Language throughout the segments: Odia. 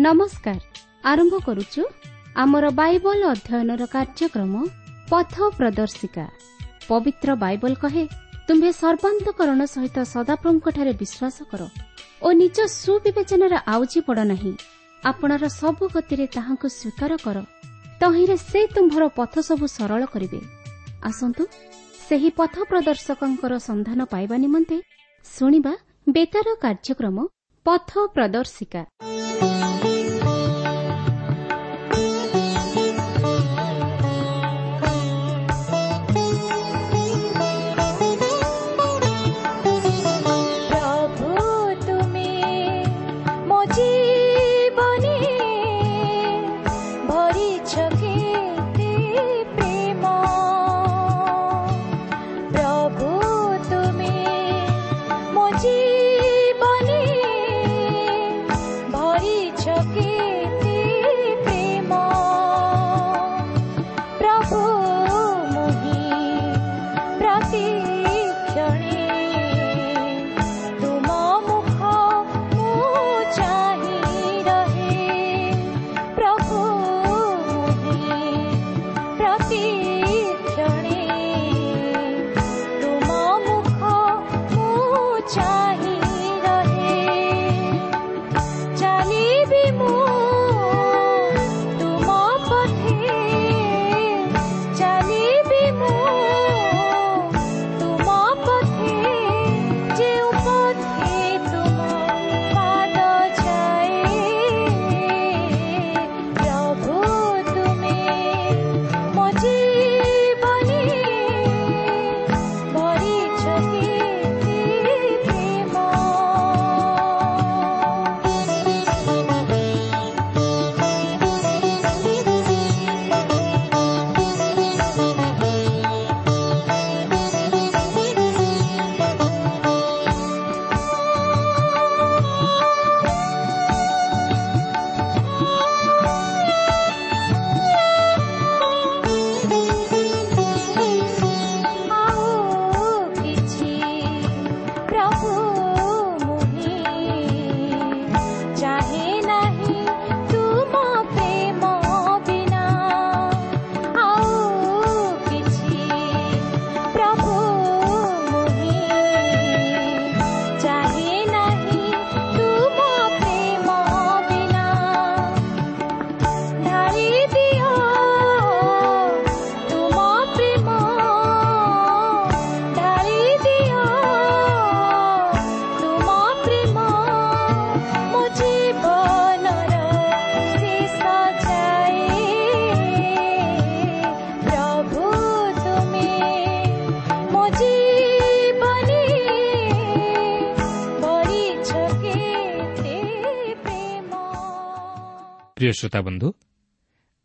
ନମସ୍କାର। ଆରମ୍ଭ କରୁଛୁ ଆମର ବାଇବଲ ଅଧ୍ୟୟନର କାର୍ଯ୍ୟକ୍ରମ ପଥ ପ୍ରଦର୍ଶିକା। ପବିତ୍ର ବାଇବଲ କହେ, ତୁମ୍ଭେ ସର୍ବାନ୍ତକରଣ ସହିତ ସଦାପ୍ରଭୁଙ୍କଠାରେ ବିଶ୍ୱାସ କର ଓ ନିଜ ସୁବିବେଚନାରେ ଆଉଜି ପଡ଼ ନାହିଁ। ଆପଣାର ସବୁ ଗତିରେ ତାହାଙ୍କୁ ସ୍ୱୀକାର କର, ତହିଁରେ ସେ ତୁମ୍ଭର ପଥ ସବୁ ସରଳ କରିବେ। ଆସନ୍ତୁ ସେହି ପଥ ପ୍ରଦର୍ଶକଙ୍କର ସନ୍ଧାନ ପାଇବା ନିମନ୍ତେ ଶୁଣିବା ବେତାର କାର୍ଯ୍ୟକ୍ରମ ପଥ ପ୍ରଦର୍ଶିକା। ପ୍ରଭୁ ତୁମେ ମୋ ଜୀବନେ ଭରିଛ କେତେ ପ୍ରେମ। ପ୍ରଭୁ ତୁମେ ମୋ ଜୀବନେ ଭରିଛ କେତେ ପ୍ରେମ। ପ୍ରଭୁ ମୁହିଁ ପ୍ରତିକ୍ଷଣେ ତୁମ ମୁଖ ମୁଁ ଚାହିଁ ରହେ। ପ୍ରଭୁ ମୁହିଁ ପ୍ରତିକ୍ଷଣେ ତୁମ ମୁଖ ମୁଁ ଚାହିଁ ରହେ। ଚାଲିବି ମୁଁ ତୁମ ପଥେ, ଚାଲିବି ମୁଁ ତୁମ ପଥେ, ଯେଉଁ ପଥେ ତୁମ ପାଦ ଯାଏ। ପ୍ରଭୁ ତୁମେ ମୋ ଜୀବନେ ଭରିଛ କେତେ ପ୍ରେମ। ଆଉ କିଛି ପ୍ରଭୁ ମୁହିଁ ଚାହେଁ ନାହିଁ ତୁମ ପ୍ରେମ ବିନା। ଆଉ କିଛି ପ୍ରଭୁ ମୁହିଁ ଚାହେଁ ନାହିଁ ତୁମ ପ୍ରେମ ବିନା। ଢାଳି ଦିଅ ତୁମ ପ୍ରେମ, ଢାଳି ଦିଅ ତୁମ ପ୍ରେମ ମୋ ଜୀବନର ଶେଷ ଯାଏ। ପ୍ରଭୁ ତୁମେ ମୋ ଜୀବନେ ଭରିଛ କେତେ ପ୍ରେମ। ପ୍ରିୟ ଶ୍ରୋତା ବନ୍ଧୁ,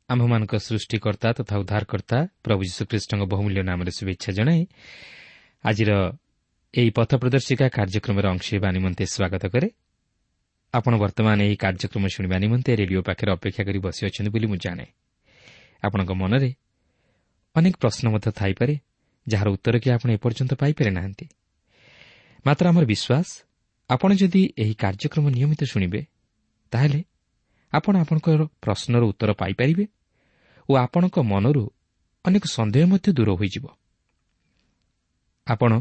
ଆମ୍ଭମାନଙ୍କ ସୃଷ୍ଟିକର୍ତ୍ତା ତଥା ଉଦ୍ଧାରକର୍ତ୍ତା ପ୍ରଭୁ ଯୀଶୁଖ୍ରୀଷ୍ଟଙ୍କ ବହୁମୂଲ୍ୟ ନାମରେ ଶୁଭେଚ୍ଛା ଜଣାଇ ଆଜିର ଏହି ପଥ ପ୍ରଦର୍ଶିକା କାର୍ଯ୍ୟକ୍ରମର ଅଂଶ ହେବା ନିମନ୍ତେ ସ୍ୱାଗତ କରେ। ଆପଣ ବର୍ତ୍ତମାନ ଏହି କାର୍ଯ୍ୟକ୍ରମ ଶୁଣିବା ନିମନ୍ତେ ରେଡିଓ ପାଖରେ ଅପେକ୍ଷା କରି ବସିଅଛନ୍ତି ବୋଲି ମୁଁ ଜାଣେ। ଆପଣଙ୍କ ମନରେ ଅନେକ ପ୍ରଶ୍ନ ମଧ୍ୟ ଥାଇପାରେ, ଯାହାର ଉତ୍ତର କି ଆପଣ ଏପର୍ଯ୍ୟନ୍ତ ପାଇପାରି ନାହାନ୍ତି। ମାତ୍ର ଆମର ବିଶ୍ୱାସ, ଆପଣ ଯଦି ଏହି କାର୍ଯ୍ୟକ୍ରମ ନିୟମିତ ଶୁଣିବେ, ତାହେଲେ ଆପଣ ଆପଣଙ୍କର ପ୍ରଶ୍ନର ଉତ୍ତର ପାଇପାରିବେ ଓ ଆପଣଙ୍କ ମନରୁ ଅନେକ ସନ୍ଦେହ ମଧ୍ୟ ଦୂର ହୋଇଯିବ। ଆପଣ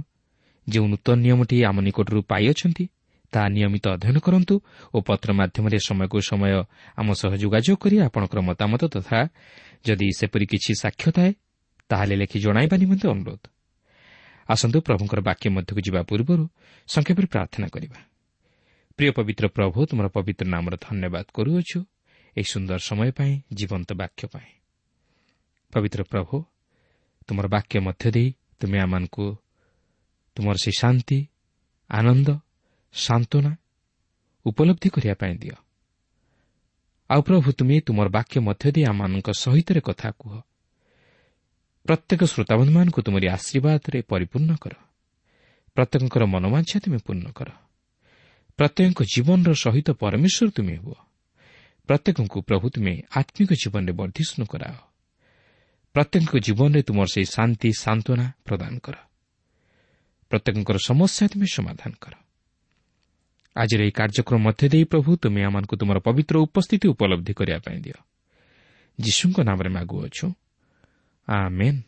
ଯେଉଁ ନୂତନ ନିୟମଟି ଆମ ନିକଟରୁ ପାଇଅଛନ୍ତି, ତାହା ନିୟମିତ ଅଧ୍ୟୟନ କରନ୍ତୁ ଓ ପତ୍ର ମାଧ୍ୟମରେ ସମୟକୁ ସମୟ ଆମ ସହ ଯୋଗାଯୋଗ କରି ଆପଣଙ୍କର ମତାମତ ତଥା ଯଦି ସେପରି କିଛି ସାକ୍ଷ୍ୟ ଥାଏ, ତାହେଲେ ଲେଖି ଜଣାଇବା ନିମନ୍ତେ ଅନୁରୋଧ। ଆସନ୍ତୁ ପ୍ରଭୁଙ୍କର ବାକ୍ୟ ମଧ୍ୟକୁ ଯିବା ପୂର୍ବରୁ ସଂକ୍ଷେପରେ ପ୍ରାର୍ଥନା କରିବା। ପ୍ରିୟ ପବିତ୍ର ପ୍ରଭୁ, ତୁମର ପବିତ୍ର ନାମର ଧନ୍ୟବାଦ କରୁଅଛୁ ଏହି ସୁନ୍ଦର ସମୟ ପାଇଁ, ଜୀବନ୍ତ ବାକ୍ୟ ପାଇଁ। ପବିତ୍ର ପ୍ରଭୁ, ତୁମର ବାକ୍ୟ ମଧ୍ୟ ଦେଇ ତୁମେ ଆମମାନଙ୍କୁ ତୁମର ସେହି ଶାନ୍ତି, ଆନନ୍ଦ, ସାନ୍ତ୍ୱନା ଉପଲବ୍ଧି କରିବା ପାଇଁ ଦିଅ। ଆଉ ପ୍ରଭୁ, ତୁମେ ତୁମର ବାକ୍ୟ ମଧ୍ୟ ଦେଇ ଆମମାନଙ୍କ ସହିତ କଥା କୁହ। ପ୍ରତ୍ୟେକ ଶ୍ରୋତାବନ୍ଧୁମାନଙ୍କୁ ତୁମରି ଆଶୀର୍ବାଦରେ ପରିପୂର୍ଣ୍ଣ କର। ପ୍ରତ୍ୟେକଙ୍କର ମନୋବାଞ୍ଛା ତୁମେ ପୂର୍ଣ୍ଣ କର। ପ୍ରତ୍ୟେକଙ୍କ ଜୀବନର ସହିତ ପରମେଶ୍ୱର ତୁମେ ହୁଅ। ପ୍ରତ୍ୟେକଙ୍କୁ ପ୍ରଭୁ ତୁମେ ଆତ୍ମିକ ଜୀବନରେ ବର୍ଦ୍ଧିଷ୍ଣୁ କରାଅ। ପ୍ରତ୍ୟେକଙ୍କ ଜୀବନରେ ତୁମର ସେହି ଶାନ୍ତି ସାନ୍ତ୍ୱନା ପ୍ରଦାନ କର। ପ୍ରତ୍ୟେକଙ୍କର ସମସ୍ୟା ତୁମେ ସମାଧାନ କର। ଆଜିର ଏହି କାର୍ଯ୍ୟକ୍ରମ ମଧ୍ୟ ଦେଇ ପ୍ରଭୁ ତୁମେ ଆମମାନଙ୍କୁ ତୁମର ପବିତ୍ର ଉପସ୍ଥିତି ଉପଲବ୍ଧି କରିବା ପାଇଁ ଦିଅ। ଯୀଶୁଙ୍କ ନାମରେ ମାଗୁଅଛୁ, ଆମେନ୍।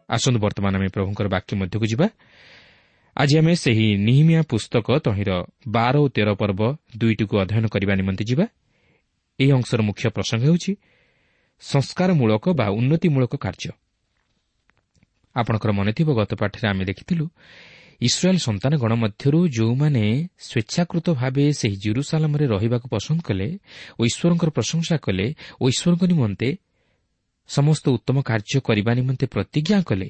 ଆସନ୍ତୁ ବର୍ତ୍ତମାନ ଆମେ ପ୍ରଭୁଙ୍କର ବାକ୍ୟ ମଧ୍ୟକୁ ଯିବା। ଆଜି ଆମେ ସେହି ନିହିମିଆ ପୁସ୍ତକ ତହିଁର 12 ଓ 13 ପର୍ବ ଦୁଇଟିକୁ ଅଧ୍ୟୟନ କରିବା ନିମନ୍ତେ ଯିବା। ଏହି ଅଂଶର ମୁଖ୍ୟ ପ୍ରସଙ୍ଗ ହେଉଛି ସଂସ୍କାରମୂଳକ ବା ଉନ୍ନତିମୂଳକ କାର୍ଯ୍ୟ। ଆପଣଙ୍କର ମନେଥିବ ଗତ ପାଠରେ ଆମେ ଦେଖିଥିଲୁ ଇସ୍ରାଏଲ୍ ସନ୍ତାନଗଣ ମଧ୍ୟରୁ ଯେଉଁମାନେ ସ୍ୱେଚ୍ଛାକୃତ ଭାବେ ସେହି ଜେରୁସାଲାମରେ ରହିବାକୁ ପସନ୍ଦ କଲେ ଓ ଈଶ୍ୱରଙ୍କର ପ୍ରଶଂସା କଲେ ଓ ଈଶ୍ୱରଙ୍କ ନିମନ୍ତେ ସମସ୍ତ ଉତ୍ତମ କାର୍ଯ୍ୟ କରିବା ନିମନ୍ତେ ପ୍ରତିଜ୍ଞା କଲେ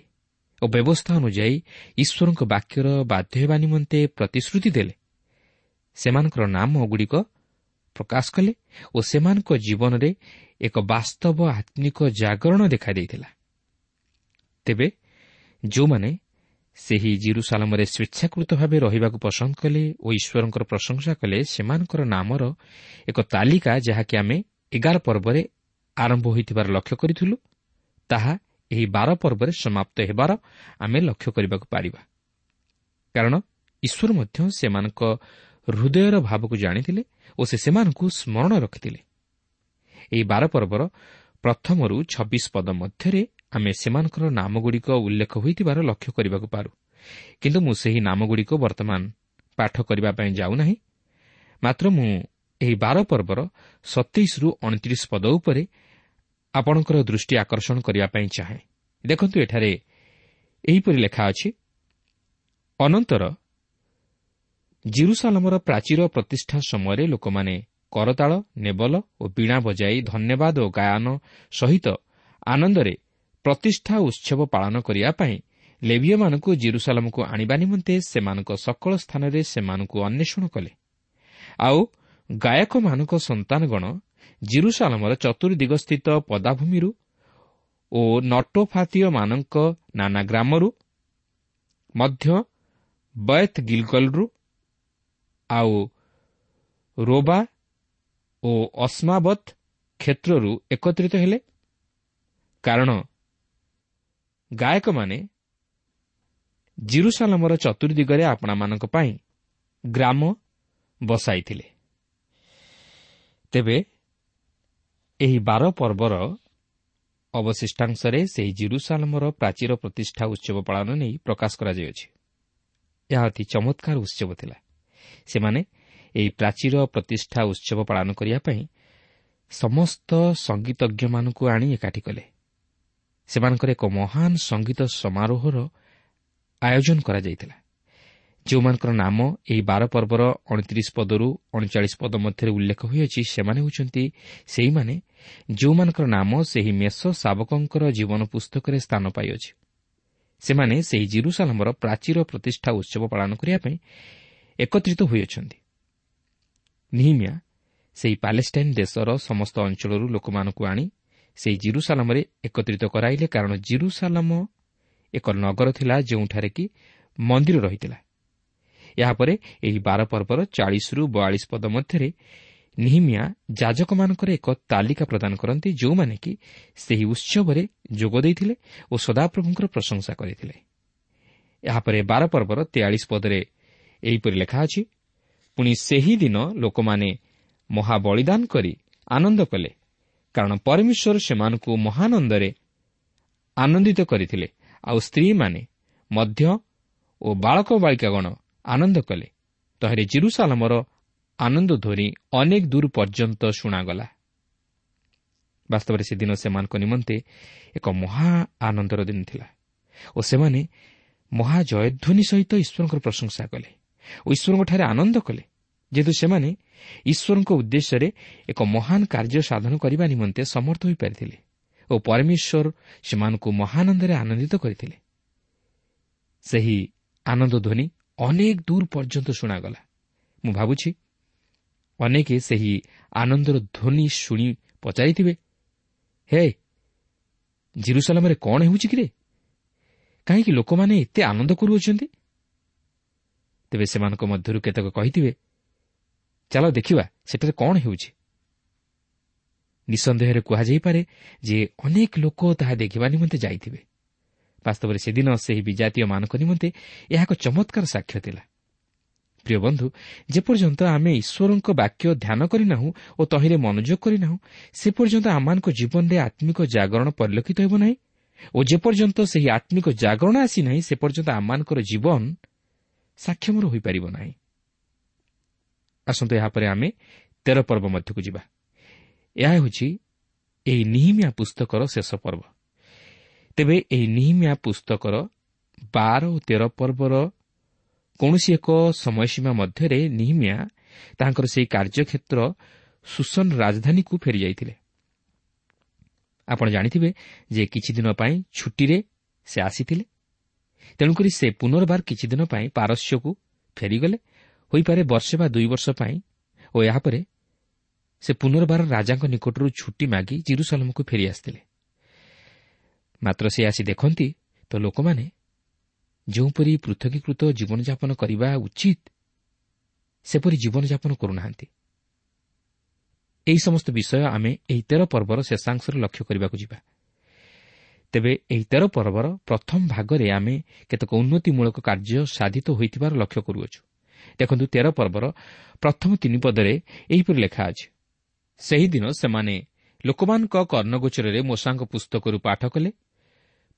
ଓ ବ୍ୟବସ୍ଥା ଅନୁଯାୟୀ ଈଶ୍ୱରଙ୍କ ବାକ୍ୟର ବାଧ୍ୟ ହେବା ନିମନ୍ତେ ପ୍ରତିଶ୍ରୁତି ଦେଲେ, ସେମାନଙ୍କର ନାମଗୁଡ଼ିକ ପ୍ରକାଶ କଲେ ଓ ସେମାନଙ୍କ ଜୀବନରେ ଏକ ବାସ୍ତବ ଆତ୍ମିକ ଜାଗରଣ ଦେଖାଦେଇଥିଲା। ତେବେ ଯେଉଁମାନେ ସେହି ଜିରୁସାଲାମରେ ସ୍ୱେଚ୍ଛାକୃତ ଭାବେ ରହିବାକୁ ପସନ୍ଦ କଲେ ଓ ଈଶ୍ୱରଙ୍କର ପ୍ରଶଂସା କଲେ, ସେମାନଙ୍କର ନାମର ଏକ ତାଲିକା ଯାହାକି ଆମେ 11 ପର୍ବରେ ଆରମ୍ଭ ହୋଇଥିବାର ଲକ୍ଷ୍ୟ କରିଥିଲୁ, ତାହା ଏହି 12 ପର୍ବରେ ସମାପ୍ତ ହେବାର ଆମେ ଲକ୍ଷ୍ୟ କରିବାକୁ ପାରିବା। କାରଣ ଈଶ୍ୱର ମଧ୍ୟ ସେମାନଙ୍କ ହୃଦୟର ଭାବକୁ ଜାଣିଥିଲେ ଓ ସେ ସେମାନଙ୍କୁ ସ୍ମରଣ ରଖିଥିଲେ। ଏହି 12 ପର୍ବର ପ୍ରଥମରୁ 26 ପଦ ମଧ୍ୟରେ ଆମେ ସେମାନଙ୍କର ନାମଗୁଡ଼ିକ ଉଲ୍ଲେଖ ହୋଇଥିବାର ଲକ୍ଷ୍ୟ କରିବାକୁ ପାରୁ। କିନ୍ତୁ ମୁଁ ସେହି ନାମଗୁଡ଼ିକ ବର୍ତ୍ତମାନ ପାଠ କରିବା ପାଇଁ ଯାଉନାହିଁ। ମାତ୍ର ମୁଁ ଏହି 12 ପର୍ବର 27ରୁ 29 ପଦ ଉପରେ ଆପଣଙ୍କର ଦୃଷ୍ଟି ଆକର୍ଷଣ କରିବା ପାଇଁ ଚାହେଁ। ଦେଖନ୍ତୁ, ଏଠାରେ ଏହିପରି ଲେଖା ଅଛି, ଅନନ୍ତର ଜିରୁସାଲାମର ପ୍ରାଚୀର ପ୍ରତିଷ୍ଠା ସମୟରେ ଲୋକମାନେ କରତାଳ, ନେବଲ ଓ ବୀଣା ବଜାଇ ଧନ୍ୟବାଦ ଓ ଗାୟନ ସହିତ ଆନନ୍ଦରେ ପ୍ରତିଷ୍ଠା ଉତ୍ସବ ପାଳନ କରିବା ପାଇଁ ଲେବୀୟମାନଙ୍କୁ ଜିରୁସାଲାମକୁ ଆଣିବା ନିମନ୍ତେ ସେମାନଙ୍କ ସକଳ ସ୍ଥାନରେ ସେମାନଙ୍କୁ ଅନ୍ୱେଷଣ କଲେ। ଆଉ ଗାୟକମାନଙ୍କ ସନ୍ତାନଗଣ ଜିରୁସାଲାମର ଚତୁର୍ଦିଗସ୍ଥିତ ପଦାଭୂମିରୁ ଓ ନଟୋଫାତୀୟମାନଙ୍କ ନାନା ଗ୍ରାମରୁ ମଧ୍ୟ ବୈଥ୍ ଗିଲଗଲରୁ ଆଉ ରୋବା ଓ ଅସ୍ମାବତ୍ କ୍ଷେତ୍ରରୁ ଏକତ୍ରିତ ହେଲେ, କାରଣ ଗାୟକମାନେ ଜିରୁସାଲାମର ଚତୁର୍ଦିଗରେ ଆପଣାମାନଙ୍କ ପାଇଁ ଗ୍ରାମ ବସାଇଥିଲେ। ତେବେ ଏହି 12 ପର୍ବର ଅବଶିଷ୍ଟାଂଶରେ ସେହି ଜିରୁସାଲାମର ପ୍ରାଚୀର ପ୍ରତିଷ୍ଠା ଉତ୍ସବ ପାଳନ ନେଇ ପ୍ରକାଶ କରାଯାଇଅଛି। ଏହା ଅତି ଚମତ୍କାର ଉତ୍ସବ ଥିଲା। ସେମାନେ ଏହି ପ୍ରାଚୀର ପ୍ରତିଷ୍ଠା ଉତ୍ସବ ପାଳନ କରିବା ପାଇଁ ସମସ୍ତ ସଙ୍ଗୀତଜ୍ଞମାନଙ୍କୁ ଆଣି ଏକାଠି କଲେ। ସେମାନଙ୍କର ଏକ ମହାନ ସଙ୍ଗୀତ ସମାରୋହର ଆୟୋଜନ କରାଯାଇଥିଲା, ଯେଉଁମାନଙ୍କର ନାମ ଏହି 12 ପର୍ବର 29 ପଦରୁ 39 ପଦ ମଧ୍ୟରେ ଉଲ୍ଲେଖ ହୋଇଅଛି। ସେମାନେ ହେଉଛନ୍ତି ସେଇମାନେ ଯେଉଁମାନଙ୍କର ନାମ ସେହି ମେଷ ଶାବକଙ୍କର ଜୀବନ ପୁସ୍ତକରେ ସ୍ଥାନ ପାଇଅଛି। ସେମାନେ ସେହି ଜିରୁସାଲାମର ପ୍ରାଚୀର ପ୍ରତିଷ୍ଠା ଉତ୍ସବ ପାଳନ କରିବା ପାଇଁ ଏକତ୍ରିତ ହୋଇଅଛନ୍ତି। ନିହିମିଆ ସେହି ପାଲେଷ୍ଟାଇନ୍ ଦେଶର ସମସ୍ତ ଅଞ୍ଚଳରୁ ଲୋକମାନଙ୍କୁ ଆଣି ସେହି ଜିରୁସାଲାମରେ ଏକତ୍ରିତ କରାଇଲେ, କାରଣ ଜିରୁସାଲାମ ଏକ ନଗର ଥିଲା ଯେଉଁଠାରେ କି ମନ୍ଦିର ରହିଥିଲା। ଏହାପରେ ଏହି 12 ପର୍ବର 40ରୁ 42 ପଦ ମଧ୍ୟରେ ନିହିମିଆ ଯାଜକମାନଙ୍କର ଏକ ତାଲିକା ପ୍ରଦାନ କରନ୍ତି, ଯେଉଁମାନେ କି ସେହି ଉତ୍ସବରେ ଯୋଗ ଦେଇଥିଲେ ଓ ସଦାପ୍ରଭୁଙ୍କର ପ୍ରଶଂସା କରିଥିଲେ। ଏହାପରେ 12 ପର୍ବର 43 ପଦରେ ଏହିପରି ଲେଖା ଅଛି, ପୁଣି ସେହି ଦିନ ଲୋକମାନେ ମହାବଳିଦାନ କରି ଆନନ୍ଦ କଲେ, କାରଣ ପରମେଶ୍ୱର ସେମାନଙ୍କୁ ମହାନନ୍ଦରେ ଆନନ୍ଦିତ କରିଥିଲେ। ଆଉ ସ୍ତ୍ରୀମାନେ ମଧ୍ୟ ଓ ବାଳକ ବାଳିକାଗଣ ଆନନ୍ଦ କଲେ। ତହିଁରେ ଜିରୁସାଲାମର ଆନନ୍ଦ ଧ୍ୱନି ଅନେକ ଦୂର ପର୍ଯ୍ୟନ୍ତ ଶୁଣାଗଲା। ବାସ୍ତବରେ ସେଦିନ ସେମାନଙ୍କ ନିମନ୍ତେ ଏକ ମହା ଆନନ୍ଦର ଦିନ ଥିଲା ଓ ସେମାନେ ମହାଜୟଧ୍ୱନି ସହିତ ଈଶ୍ୱରଙ୍କର ପ୍ରଶଂସା କଲେ ଓ ଈଶ୍ୱରଙ୍କଠାରେ ଆନନ୍ଦ କଲେ, ଯେହେତୁ ସେମାନେ ଈଶ୍ୱରଙ୍କ ଉଦ୍ଦେଶ୍ୟରେ ଏକ ମହାନ କାର୍ଯ୍ୟ ସାଧନ କରିବା ନିମନ୍ତେ ସମର୍ଥ ହୋଇପାରିଥିଲେ ଓ ପରମେଶ୍ୱର ସେମାନଙ୍କୁ ମହାନନ୍ଦରେ ଆନନ୍ଦିତ କରିଥିଲେ। ସେହି ଆନନ୍ଦ ଧ୍ୱନି ଅନେକ ଦୂର ପର୍ଯ୍ୟନ୍ତ ଶୁଣାଗଲା। ମୁଁ ଭାବୁଛି ଅନେକ ସେହି ଆନନ୍ଦର ଧ୍ୱନି ଶୁଣି ପଚାରିଥିବେ, ହେ ଜିରୁସାଲାମରେ କ'ଣ ହେଉଛି କିରେ? କାହିଁକି ଲୋକମାନେ ଏତେ ଆନନ୍ଦ କରୁଅଛନ୍ତି? ତେବେ ସେମାନଙ୍କ ମଧ୍ୟରୁ କେତେକ କହିଥିବେ, ଚାଲ ଦେଖିବା ସେଠାରେ କ'ଣ ହେଉଛି। ନିଃସନ୍ଦେହରେ କୁହାଯାଇପାରେ ଯେ ଅନେକ ଲୋକ ତାହା ଦେଖିବା ନିମନ୍ତେ ଯାଇଥିବେ। ବାସ୍ତବରେ ସେଦିନ ସେହି ବିଜାତୀୟମାନଙ୍କ ନିମନ୍ତେ ଏହା ଏକ ଚମତ୍କାର ସାକ୍ଷ୍ୟ ଥିଲା। ପ୍ରିୟ ବନ୍ଧୁ, ଯେପର୍ଯ୍ୟନ୍ତ ଆମେ ଈଶ୍ୱରଙ୍କ ବାକ୍ୟ ଧ୍ୟାନ କରିନାହୁଁ ଓ ତହିଁରେ ମନୋଯୋଗ କରିନାହୁଁ, ସେ ପର୍ଯ୍ୟନ୍ତ ଆମମାନଙ୍କ ଜୀବନରେ ଆତ୍ମିକ ଜାଗରଣ ପରିଲକ୍ଷିତ ହେବ ନାହିଁ ଓ ଯେପର୍ଯ୍ୟନ୍ତ ସେହି ଆତ୍ମିକ ଜାଗରଣ ଆସିନାହିଁ, ସେ ପର୍ଯ୍ୟନ୍ତ ଆମମାନଙ୍କର ଜୀବନ ସାକ୍ଷମର ହୋଇପାରିବ ନାହିଁ। ଆସନ୍ତୁ ଏହାପରେ ଆମେ 13 ପର୍ବ ମଧ୍ୟକୁ ଯିବା। ଏହା ହେଉଛି ଏହି ନିହିମିଆ ପୁସ୍ତକର ଶେଷ ପର୍ବ। ତେବେ ଏହି ନିହିମିଆ ପୁସ୍ତକର 12 ଓ 13 ପର୍ବର କୌଣସି ଏକ ସମୟସୀମା ମଧ୍ୟରେ ନିହିମିଆ ତାଙ୍କର ସେହି କାର୍ଯ୍ୟକ୍ଷେତ୍ର ସୁସନ ରାଜଧାନୀକୁ ଫେରିଯାଇଥିଲେ। ଆପଣ ଜାଣିଥିବେ ଯେ କିଛିଦିନ ପାଇଁ ଛୁଟିରେ ସେ ଆସିଥିଲେ, ତେଣୁକରି ସେ ପୁନର୍ବାର କିଛିଦିନ ପାଇଁ ପାରସ୍ୟକୁ ଫେରିଗଲେ, ହୋଇପାରେ ବର୍ଷେ ବା 2 ବର୍ଷ ପାଇଁ, ଓ ଏହାପରେ ସେ ପୁନର୍ବାର ରାଜାଙ୍କ ନିକଟରୁ ଛୁଟି ମାଗି ଜିରୁସାଲମକୁ ଫେରି ଆସିଥିଲେ। ମାତ୍ର ସେ ଆସି ଦେଖନ୍ତି ତ ଲୋକମାନେ ଯେଉଁପରି ପୃଥକୀକୃତ ଜୀବନଯାପନ କରିବା ଉଚିତ ସେପରି ଜୀବନଯାପନ କରୁନାହାନ୍ତି। ଏହି ସମସ୍ତ ବିଷୟ ଆମେ ଏହି 13 ପର୍ବର ଶେଷାଂଶରେ ଲକ୍ଷ୍ୟ କରିବାକୁ ଯିବା। ତେବେ ଏହି 13 ପର୍ବର ପ୍ରଥମ ଭାଗରେ ଆମେ କେତେକ ଉନ୍ନତିମୂଳକ କାର୍ଯ୍ୟ ସାଧିତ ହୋଇଥିବାର ଲକ୍ଷ୍ୟ କରୁଅଛୁ। ଦେଖନ୍ତୁ, 13 ପର୍ବର ପ୍ରଥମ 3 ପଦରେ ଏହିପରି ଲେଖା ଅଛି, ସେହିଦିନ ସେମାନେ ଲୋକମାନଙ୍କ କର୍ଣ୍ଣଗୋଚରରେ ମୋଶାଙ୍କ ପୁସ୍ତକରୁ ପାଠ କଲେ,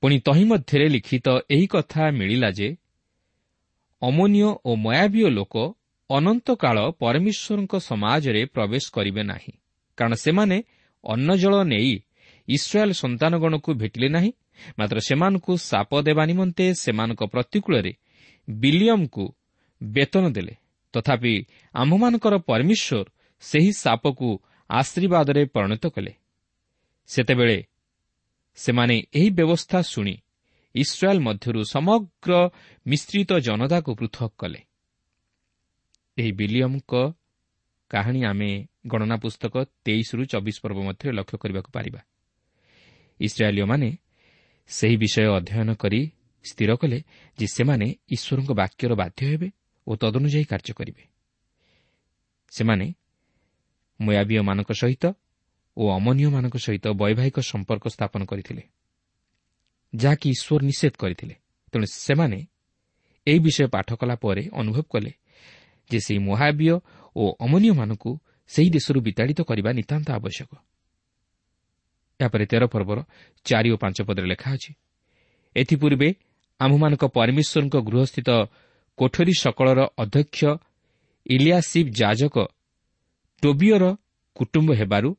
ପୁଣି ତହିଁ ମଧ୍ୟରେ ଲିଖିତ ଏହି କଥା ମିଳିଲା ଯେ ଅମୋନୀୟ ଓ ମୟାବୀୟ ଲୋକ ଅନନ୍ତକାଳ ପରମେଶ୍ୱରଙ୍କ ସମାଜରେ ପ୍ରବେଶ କରିବେ ନାହିଁ, କାରଣ ସେମାନେ ଅନ୍ନଜଳ ନେଇ ଇସ୍ରାଏଲ ସନ୍ତାନଗଣକୁ ଭେଟିଲେ ନାହିଁ, ମାତ୍ର ସେମାନଙ୍କୁ ସାପ ଦେବା ନିମନ୍ତେ ସେମାନଙ୍କ ପ୍ରତିକୂଳରେ ବିଲିୟମକୁ ବେତନ ଦେଲେ। ତଥାପି ଆମ୍ଭମାନଙ୍କର ପରମେଶ୍ୱର ସେହି ସାପକୁ ଆଶୀର୍ବାଦରେ ପରିଣତ କଲେ। ସେତେବେଳେ ସେମାନେ ଏହି ବ୍ୟବସ୍ଥା ଶୁଣି ଇସ୍ରାଏଲ ମଧ୍ୟରୁ ସମଗ୍ର ମିଶ୍ରିତ ଜନତାକୁ ପୃଥକ କଲେ। ଏହି ବିଲିୟମଙ୍କ କାହାଣୀ ଆମେ ଗଣନା ପୁସ୍ତକ 23ରୁ 24 ପର୍ବ ମଧ୍ୟରେ ଲକ୍ଷ୍ୟ କରିବାକୁ ପାରିବା। ଇସ୍ରାଏଲୀୟମାନେ ସେହି ବିଷୟ ଅଧ୍ୟୟନ କରି ସ୍ଥିର କଲେ ଯେ ସେମାନେ ଈଶ୍ୱରଙ୍କ ବାକ୍ୟର ବାଧ୍ୟ ହେବେ ଓ ତଦନୁଯାୟୀ କାର୍ଯ୍ୟ କରିବେ। ସେମାନେ ମୋୟାବୀୟମାନଙ୍କ ସହିତ ଓ ଅମନୀୟମାନଙ୍କ ସହିତ ବୈବାହିକ ସମ୍ପର୍କ ସ୍ଥାପନ କରିଥିଲେ, ଯାହାକି ଈଶ୍ୱର ନିଷେଧ କରିଥିଲେ। ତେଣୁ ସେମାନେ ଏହି ବିଷୟ ପାଠ କଲା ପରେ ଅନୁଭବ କଲେ ଯେ ସେହି ମୋହାବୀୟ ଓ ଅମନୀୟମାନଙ୍କୁ ସେହି ଦେଶରୁ ବିତାଡ଼ିତ କରିବା ନିତାନ୍ତ ଆବଶ୍ୟକ। ଏହାପରେ 13 ପର୍ବର 4 ଓ 5 ପଦରେ ଲେଖା ଅଛି, ଏଥିପୂର୍ବେ ଆମ୍ଭମାନଙ୍କ ପରମେଶ୍ୱରଙ୍କ ଗୃହସ୍ଥିତ କୋଠରୀ ସକଳର ଅଧ୍ୟକ୍ଷ ଇଲିଆସିବ୍ ଯାଜକ ଟୋବିୟର କୁଟୁମ୍ବ ହେବାରୁ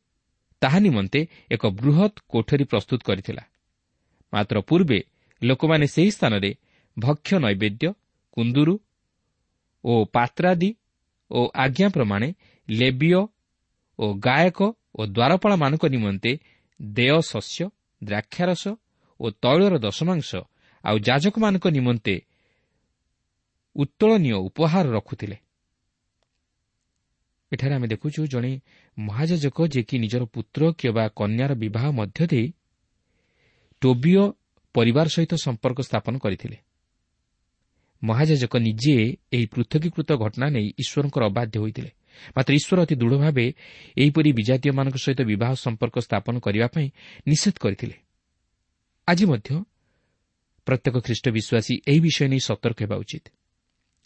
ତାହା ନିମନ୍ତେ ଏକ ବୃହତ୍ କୋଠରୀ ପ୍ରସ୍ତୁତ କରିଥିଲା। ମାତ୍ର ପୂର୍ବେ ଲୋକମାନେ ସେହି ସ୍ଥାନରେ ଭକ୍ଷ୍ୟ ନୈବେଦ୍ୟ, କୁନ୍ଦୁରୁ ଓ ପାତ୍ରାଦି ଓ ଆଜ୍ଞା ପ୍ରମାଣେ ଲେବୀୟ ଓ ଗାୟକ ଓ ଦ୍ୱାରପାଳମାନଙ୍କ ନିମନ୍ତେ ଦେୟ ଶସ୍ୟ, ଦ୍ରାକ୍ଷାରସ ଓ ତୈଳର ଦଶମାଂଶ ଆଉ ଯାଜକମାନଙ୍କ ନିମନ୍ତେ ଉତ୍ତୋଳନୀୟ ଉପହାର ରଖୁଥିଲେ। ଏଠାରେ ଆମେ ଦେଖୁଛୁ ଜଣେ ମହାଯାଜକ ଯିଏକି ନିଜର ପୁତ୍ର କିମ୍ବା କନ୍ୟାର ବିବାହ ମଧ୍ୟ ଦେଇ ଟୋବିୟ ପରିବାର ସହିତ ସମ୍ପର୍କ ସ୍ଥାପନ କରିଥିଲେ। ମହାଯାଜକ ନିଜେ ଏହି ପୃଥକୀକୃତ ଘଟଣା ନେଇ ଈଶ୍ୱରଙ୍କର ଅବାଧ୍ୟ ହୋଇଥିଲେ। ମାତ୍ର ଈଶ୍ୱର ଅତି ଦୃଢ଼ ଭାବେ ଏହିପରି ବିଜାତୀୟମାନଙ୍କ ସହିତ ବିବାହ ସମ୍ପର୍କ ସ୍ଥାପନ କରିବା ପାଇଁ ନିଷେଧ କରିଥିଲେ। ଆଜି ମଧ୍ୟ ପ୍ରତ୍ୟେକ ଖ୍ରୀଷ୍ଟ ବିଶ୍ୱାସୀ ଏହି ବିଷୟ ନେଇ ସତର୍କ ହେବା ଉଚିତ।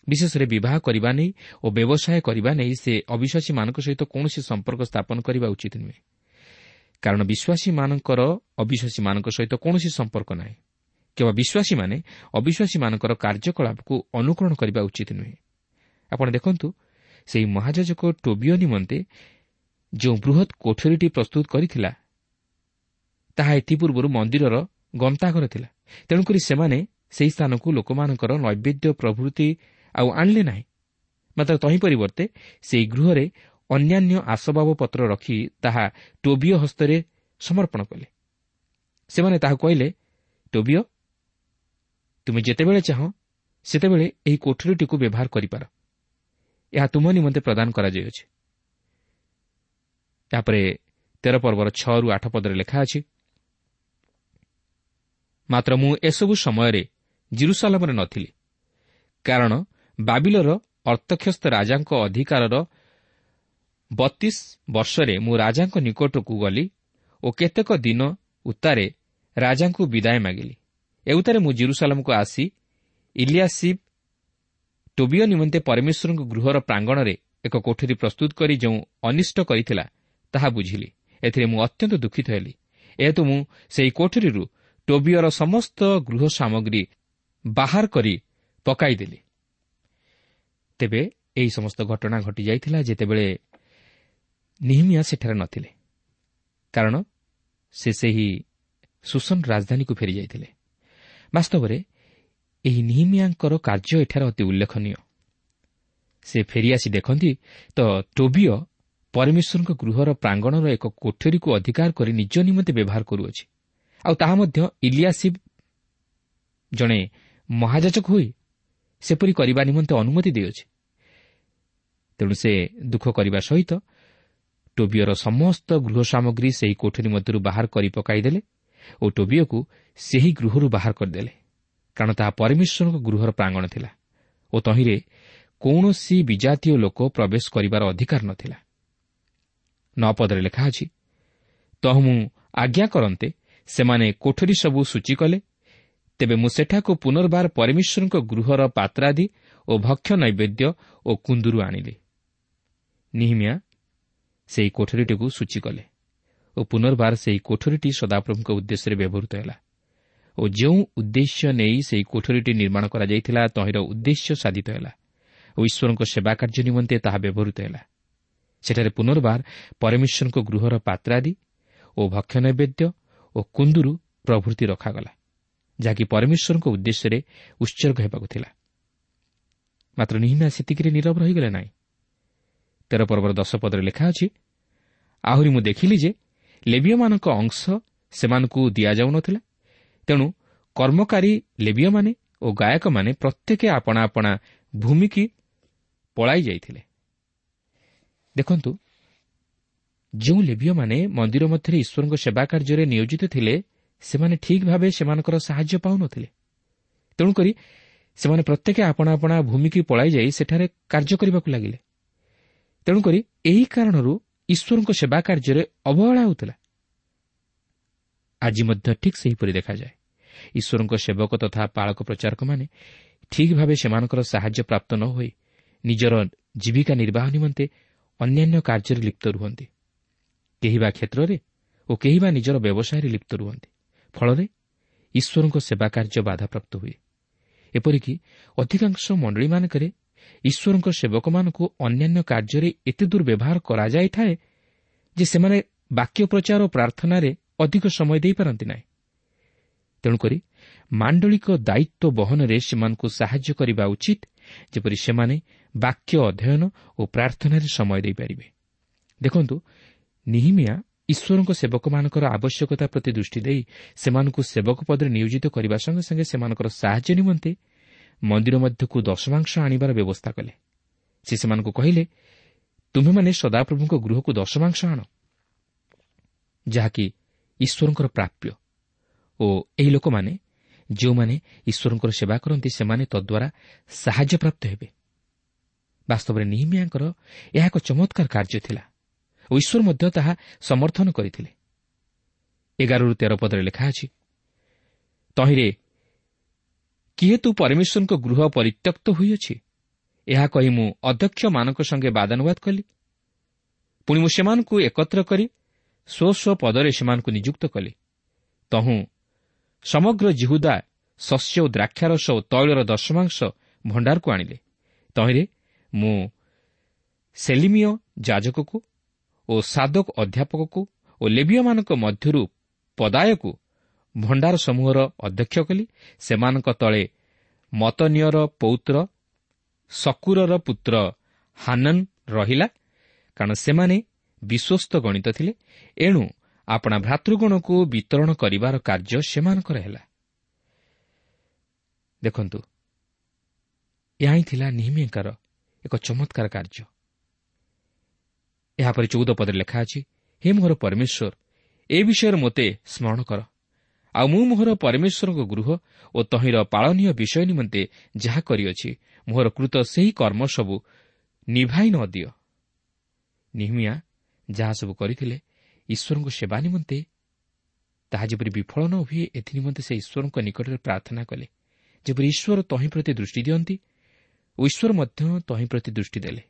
ବିଶେଷରେ ବିବାହ କରିବା ନେଇ ଓ ବ୍ୟବସାୟ କରିବା ନେଇ ସେ ଅବିଶ୍ୱାସୀମାନଙ୍କ ସହିତ କୌଣସି ସମ୍ପର୍କ ସ୍ଥାପନ କରିବା ଉଚିତ ନୁହେଁ, କାରଣ ବିଶ୍ୱାସୀମାନଙ୍କର ଅବିଶ୍ୱାସୀମାନଙ୍କ ସହିତ କୌଣସି ସମ୍ପର୍କ ନାହିଁ। କେବଳ ବିଶ୍ୱାସୀମାନେ ଅବିଶ୍ୱାସୀମାନଙ୍କର କାର୍ଯ୍ୟକଳାପକୁ ଅନୁକରଣ କରିବା ଉଚିତ ନୁହେଁ। ଆପଣ ଦେଖନ୍ତୁ, ସେହି ମହାଯାଜକ ଟୋବିୟ ନିମନ୍ତେ ଯେଉଁ ବୃହତ୍ କୋଠରୀଟି ପ୍ରସ୍ତୁତ କରିଥିଲା, ତାହା ଏଥିପୂର୍ବରୁ ମନ୍ଦିରର ଗନ୍ତାଘର ଥିଲା। ତେଣୁକରି ସେମାନେ ସେହି ସ୍ଥାନକୁ ଲୋକମାନଙ୍କର ନୈବେଦ୍ୟ ପ୍ରଭୃତି ଆଉ ଆଣିଲେ ନାହିଁ, ମାତ୍ର ତହିଁ ପରିବର୍ତ୍ତେ ସେହି ଗୃହରେ ଅନ୍ୟାନ୍ୟ ଆସବାବପତ୍ର ରଖି ତାହା ଟୋବିୟ ହସ୍ତରେ ସମର୍ପଣ କଲେ। ସେମାନେ ତାହାକୁ କହିଲେ, ଟୋବିୟ, ତୁମେ ଯେତେବେଳେ ଚାହଁ ସେତେବେଳେ ଏହି କୋଠରୀଟିକୁ ବ୍ୟବହାର କରିପାର, ଏହା ତୁମ ନିମନ୍ତେ ପ୍ରଦାନ କରାଯାଇଅଛି। ତାପରେ 13 ପର୍ବର 6ରୁ 8 ପଦରେ ଲେଖା ଅଛି, ମାତ୍ର ମୁଁ ଏସବୁ ସମୟରେ ଜିରୁସାଲମରେ ନଥିଲି, କାରଣ ବାବିଲର ଅର୍ତ୍ତକ୍ଷସ୍ତ ରାଜାଙ୍କ ଅଧିକାରର 32 ବର୍ଷରେ ମୁଁ ରାଜାଙ୍କ ନିକଟକୁ ଗଲି ଓ କେତେକ ଦିନ ଉତ୍ତାରେ ରାଜାଙ୍କୁ ବିଦାୟ ମାଗିଲି। ଏଉତାରେ ମୁଁ ଜିରୁସାଲାମକୁ ଆସି ଇଲିଆସିବ୍ ଟୋବିୟ ନିମନ୍ତେ ପରମେଶ୍ୱରଙ୍କ ଗୃହର ପ୍ରାଙ୍ଗଣରେ ଏକ କୋଠରୀ ପ୍ରସ୍ତୁତ କରି ଯେଉଁ ଅନିଷ୍ଟ କରିଥିଲା ତାହା ବୁଝିଲି। ଏଥିରେ ମୁଁ ଅତ୍ୟନ୍ତ ଦୁଃଖିତ ହେଲି। ଏହେତୁ ମୁଁ ସେହି କୋଠରୀରୁ ଟୋବିୟର ସମସ୍ତ ଗୃହ ସାମଗ୍ରୀ ବାହାର କରି ପକାଇଦେଲି। ତେବେ ଏହି ସମସ୍ତ ଘଟଣା ଘଟିଯାଇଥିଲା ଯେତେବେଳେ ନିହିମିଆ ସେଠାରେ ନଥିଲେ, କାରଣ ସେ ସେହି ସୁସନ ରାଜଧାନୀକୁ ଫେରିଯାଇଥିଲେ। ବାସ୍ତବରେ ଏହି ନିହିମିଆଙ୍କର କାର୍ଯ୍ୟ ଏଠାରେ ଅତି ଉଲ୍ଲେଖନୀୟ। ସେ ଫେରିଆସି ଦେଖନ୍ତି ତ ଟୋବିୟ ପରମେଶ୍ୱରଙ୍କ ଗୃହର ପ୍ରାଙ୍ଗଣର ଏକ କୋଠରୀକୁ ଅଧିକାର କରି ନିଜ ନିମନ୍ତେ ବ୍ୟବହାର କରୁଅଛି, ଆଉ ତାହା ମଧ୍ୟ ଇଲିଆସିବ୍ ଜଣେ ମହାଯାଜକ ହୋଇ ସେପରି କରିବା ନିମନ୍ତେ ଅନୁମତି ଦେଇଅଛି। ତେଣୁ ସେ ଦୁଃଖ କରିବା ସହିତ ଟୋବିୟର ସମସ୍ତ ଗୃହ ସାମଗ୍ରୀ ସେହି କୋଠରୀ ମଧ୍ୟରୁ ବାହାର କରି ପକାଇଦେଲେ ଓ ଟୋବିୟକୁ ସେହି ଗୃହରୁ ବାହାର କରିଦେଲେ, କାରଣ ତାହା ପରମେଶ୍ୱରଙ୍କ ଗୃହର ପ୍ରାଙ୍ଗଣ ଥିଲା ଓ ତହିଁରେ କୌଣସି ବିଜାତୀୟ ଲୋକ ପ୍ରବେଶ କରିବାର ଅଧିକାର ନଥିଲା। 9 ପଦରେ ଲେଖା ଅଛି, ତହୁ ମୁଁ ଆଜ୍ଞା କରନ୍ତେ ସେମାନେ କୋଠରୀ ସବୁ ସୂଚୀ କଲେ। ତେବେ ମୁଁ ସେଠାକୁ ପୁନର୍ବାର ପରମେଶ୍ୱରଙ୍କ ଗୃହର ପାତ୍ରାଦି ଓ ଭକ୍ଷ୍ୟ ନୈବେଦ୍ୟ ଓ କୁନ୍ଦୁରୁ ଆଣିଲି। ନିହିମିଆ ସେହି କୋଠରୀଟିକୁ ସୂଚୀ କଲେ ଓ ପୁନର୍ବାର ସେହି କୋଠରୀଟି ସଦାପ୍ରଭୁଙ୍କ ଉଦ୍ଦେଶ୍ୟରେ ବ୍ୟବହୃତ ହେଲା ଓ ଯେଉଁ ଉଦ୍ଦେଶ୍ୟ ନେଇ ସେହି କୋଠରୀଟି ନିର୍ମାଣ କରାଯାଇଥିଲା ତହିଁର ଉଦ୍ଦେଶ୍ୟ ସାଧିତ ହେଲା ଓ ଈଶ୍ୱରଙ୍କ ସେବା କାର୍ଯ୍ୟ ନିମନ୍ତେ ତାହା ବ୍ୟବହୃତ ହେଲା। ସେଠାରେ ପୁନର୍ବାର ପରମେଶ୍ୱରଙ୍କ ଗୃହର ପାତ୍ରାଦି ଓ ଭକ୍ଷ୍ୟ ନୈବେଦ୍ୟ ଓ କୁନ୍ଦୁରୁ ପ୍ରଭୃତି ରଖାଗଲା, ଯାହାକି ପରମେଶ୍ୱରଙ୍କ ଉଦ୍ଦେଶ୍ୟରେ ଉତ୍ସର୍ଗ ହେବାକୁ ଥିଲା। ମାତ୍ର ନିହିମିଆ ସେତିକିରେ ନୀରବ ରହିଗଲେ ନାହିଁ। 13 ପର୍ବର 10 ପଦରେ ଲେଖା ଅଛି, ଆହୁରି ମୁଁ ଦେଖିଲି ଯେ ଲେବୀୟମାନଙ୍କ ଅଂଶ ସେମାନଙ୍କୁ ଦିଆଯାଉନଥିଲା, ତେଣୁ କର୍ମକାରୀ ଲେବୀୟମାନେ ଓ ଗାୟକମାନେ ପ୍ରତ୍ୟେକ ଆପଣା ଆପଣା ଭୂମିକି ପଳାଇ ଯାଇଥିଲେ। ଦେଖନ୍ତୁ, ଯେଉଁ ଲେବୀୟମାନେ ମନ୍ଦିର ମଧ୍ୟରେ ଈଶ୍ୱରଙ୍କ ସେବା କାର୍ଯ୍ୟରେ ନିୟୋଜିତ ଥିଲେ ସେମାନେ ଠିକ୍ ଭାବେ ସେମାନଙ୍କର ସାହାଯ୍ୟ ପାଉନଥିଲେ। ତେଣୁକରି ସେମାନେ ପ୍ରତ୍ୟେକ ଆପଣା ଆପଣା ଭୂମିକି ପଳାଇ ଯାଇ ସେଠାରେ କାର୍ଯ୍ୟ କରିବାକୁ ଲାଗିଲେ। ତେଣୁକରି ଏହି କାରଣରୁ ଈଶ୍ୱରଙ୍କ ସେବା କାର୍ଯ୍ୟରେ ଅବହେଳା ହେଉଥିଲା। ଆଜି ମଧ୍ୟ ଠିକ୍ ସେହିପରି ଦେଖାଯାଏ। ଈଶ୍ୱରଙ୍କ ସେବକ ତଥା ପାଳକ ପ୍ରଚାରକମାନେ ଠିକ୍ ଭାବେ ସେମାନଙ୍କର ସାହାଯ୍ୟ ପ୍ରାପ୍ତ ନ ହୋଇ ନିଜର ଜୀବିକା ନିର୍ବାହ ନିମନ୍ତେ ଅନ୍ୟାନ୍ୟ କାର୍ଯ୍ୟରେ ଲିପ୍ତ ରୁହନ୍ତି। କେହି ବା କ୍ଷେତ୍ରରେ ଓ କେହି ବା ନିଜର ବ୍ୟବସାୟରେ ଲିପ୍ତ ରୁହନ୍ତି। ଫଳରେ ଈଶ୍ୱରଙ୍କ ସେବା କାର୍ଯ୍ୟ ବାଧାପ୍ରାପ୍ତ ହୁଏ। ଏପରିକି ଅଧିକାଂଶ ମଣ୍ଡଳୀମାନଙ୍କରେ ଈଶ୍ୱରଙ୍କ ସେବକମାନଙ୍କୁ ଅନ୍ୟାନ୍ୟ କାର୍ଯ୍ୟରେ ଏତେ ଦୂର ବ୍ୟବହାର କରାଯାଇଥାଏ ଯେ ସେମାନେ ବାକ୍ୟ ପ୍ରଚାର ଓ ପ୍ରାର୍ଥନାରେ ଅଧିକ ସମୟ ଦେଇପାରନ୍ତି ନାହିଁ। ତେଣୁକରି ମାଣ୍ଡଳିକ ଦାୟିତ୍ୱ ବହନରେ ସେମାନଙ୍କୁ ସାହାଯ୍ୟ କରିବା ଉଚିତ, ଯେପରି ସେମାନେ ବାକ୍ୟ ଅଧ୍ୟୟନ ଓ ପ୍ରାର୍ଥନାରେ ସମୟ ଦେଇପାରିବେ। ଦେଖନ୍ତୁ, ନିହିମିଆ ଈଶ୍ୱରଙ୍କ ସେବକମାନଙ୍କର ଆବଶ୍ୟକତା ପ୍ରତି ଦୃଷ୍ଟି ଦେଇ ସେମାନଙ୍କୁ ସେବକ ପଦରେ ନିୟୋଜିତ କରିବା ସଙ୍ଗେ ସଙ୍ଗେ ସେମାନଙ୍କର ସାହାଯ୍ୟ ନିମନ୍ତେ ମନ୍ଦିର ମଧ୍ୟକୁ ଦଶମାଂଶ ଆଣିବାର ବ୍ୟବସ୍ଥା କଲେ। ସେ ସେମାନଙ୍କୁ କହିଲେ, ତୁମ୍ଭେମାନେ ସଦାପ୍ରଭୁଙ୍କ ଗୃହକୁ ଦଶମାଂଶ ଆଣ, ଯାହାକି ଈଶ୍ୱରଙ୍କର ପ୍ରାପ୍ୟ, ଓ ଏହି ଲୋକମାନେ ଯେଉଁମାନେ ଈଶ୍ୱରଙ୍କର ସେବା କରନ୍ତି ସେମାନେ ତଦ୍ୱାରା ସାହାଯ୍ୟ ପ୍ରାପ୍ତ ହେବେ। ବାସ୍ତବରେ ନିହିମିଆଙ୍କର ଏହା ଏକ ଚମତ୍କାର କାର୍ଯ୍ୟ ଥିଲା ଓ ଈଶ୍ୱର ମଧ୍ୟ ତାହା ସମର୍ଥନ କରିଥିଲେ। 11-13 ପଦରେ ଲେଖା ଅଛି, ତହିଁରେ କିହେତୁ ପରମେଶ୍ୱରଙ୍କ ଗୃହ ପରିତ୍ୟକ୍ତ ହୋଇଅଛି, ଏହା କହି ମୁଁ ଅଧ୍ୟକ୍ଷମାନଙ୍କ ସଙ୍ଗେ ବାଦାନୁବାଦ କଲି। ପୁଣି ମୁଁ ସେମାନଙ୍କୁ ଏକତ୍ର କରି ସ୍ୱ ସ୍ୱ ପଦରେ ସେମାନଙ୍କୁ ନିଯୁକ୍ତ କଲି। ତହୁଁ ସମଗ୍ର ଯିହୁଦା ଶସ୍ୟ ଓ ଦ୍ରାକ୍ଷାରସ ଓ ତୈଳର ଦଶମାଂଶ ଭଣ୍ଡାରକୁ ଆଣିଲେ। ତହିଁରେ ମୁଁ ସେଲିମୀୟ ଯାଜକକୁ ଓ ସାଦକ ଅଧ୍ୟାପକକୁ ଓ ଲେବୀୟମାନଙ୍କ ମଧ୍ୟରୁ ପଦାୟକୁ ଭଣ୍ଡାର ସମୂହର ଅଧ୍ୟକ୍ଷ କଲି। ସେମାନଙ୍କ ତଳେ ମତନୀୟର ପୌତ୍ର ଶକୁରର ପୁତ୍ର ହାନନ ରହିଲା, କାରଣ ସେମାନେ ବିଶ୍ୱସ୍ତ ଗଣିତ ଥିଲେ। ଏଣୁ ଆପଣା ଭ୍ରାତୃଗଣକୁ ବିତରଣ କରିବାର କାର୍ଯ୍ୟ ସେମାନଙ୍କର ହେଲା। ଦେଖନ୍ତୁ, ଏହା ହିଁ ଥିଲା ନିହିମିଆଙ୍କର ଏକ ଚମତ୍କାର କାର୍ଯ୍ୟ। ଏହାପରେ 14 ପଦରେ ଲେଖା ଅଛି, ହେ ମୋହର ପରମେଶ୍ୱର, ଏ ବିଷୟରେ ମୋତେ ସ୍ମରଣ କର, ଆଉ ମୁଁ ମୋହର ପରମେଶ୍ୱରଙ୍କ ଗୃହ ଓ ତହିଁର ପାଳନୀୟ ବିଷୟ ନିମନ୍ତେ ଯାହା କରିଅଛି ମୋହର କୃତ ସେହି କର୍ମ ସବୁ ନିଭାଇ ନ ଦିଅ। ନିହିମିଆ ଯାହା ସବୁ କରିଥିଲେ ଈଶ୍ୱରଙ୍କ ସେବା ନିମନ୍ତେ ତାହା ଯେପରି ବିଫଳ ନ ହୁଏ ଏଥିନିମନ୍ତେ ସେ ଈଶ୍ୱରଙ୍କ ନିକଟରେ ପ୍ରାର୍ଥନା କଲେ, ଯେପରି ଈଶ୍ୱର ତହିଁ ପ୍ରତି ଦୃଷ୍ଟି ଦିଅନ୍ତି ଓ ଈଶ୍ୱର ମଧ୍ୟ ତହିଁ ପ୍ରତି ଦୃଷ୍ଟି ଦେଲେ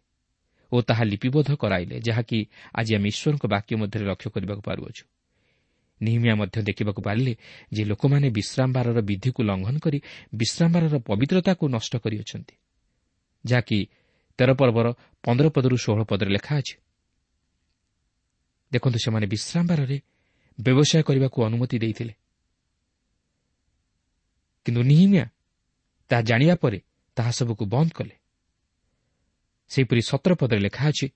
ଓ ତାହା ଲିପିବଦ୍ଧ କରାଇଲେ, ଯାହାକି ଆଜି ଆମେ ଈଶ୍ୱରଙ୍କ ବାକ୍ୟ ମଧ୍ୟରେ ଲକ୍ଷ୍ୟ କରିବାକୁ ପାରୁଅଛୁ। ନିହିମିଆ ମଧ୍ୟ ଦେଖିବାକୁ ପାରିଲେ ଯେ ଲୋକମାନେ ବିଶ୍ରାମବାରର ବିଧିକୁ ଲଙ୍ଘନ କରି ବିଶ୍ରାମବାରର ପବିତ୍ରତାକୁ ନଷ୍ଟ କରିଅଛନ୍ତି, ଯାହାକି 13 ପର୍ବର 15 ପଦରୁ 16 ପଦରେ ଲେଖା ଅଛି। ଦେଖନ୍ତୁ, ସେମାନେ ବିଶ୍ରାମବାରରେ ବ୍ୟବସାୟ କରିବାକୁ ଅନୁମତି ଦେଇଥିଲେ, କିନ୍ତୁ ନିହିମିଆ ତାହା ଜାଣିବା ପରେ ତାହା ସବୁକୁ ବନ୍ଦ କଲେ। ସେହିପରି 17 ପଦରେ ଲେଖା ଅଛି,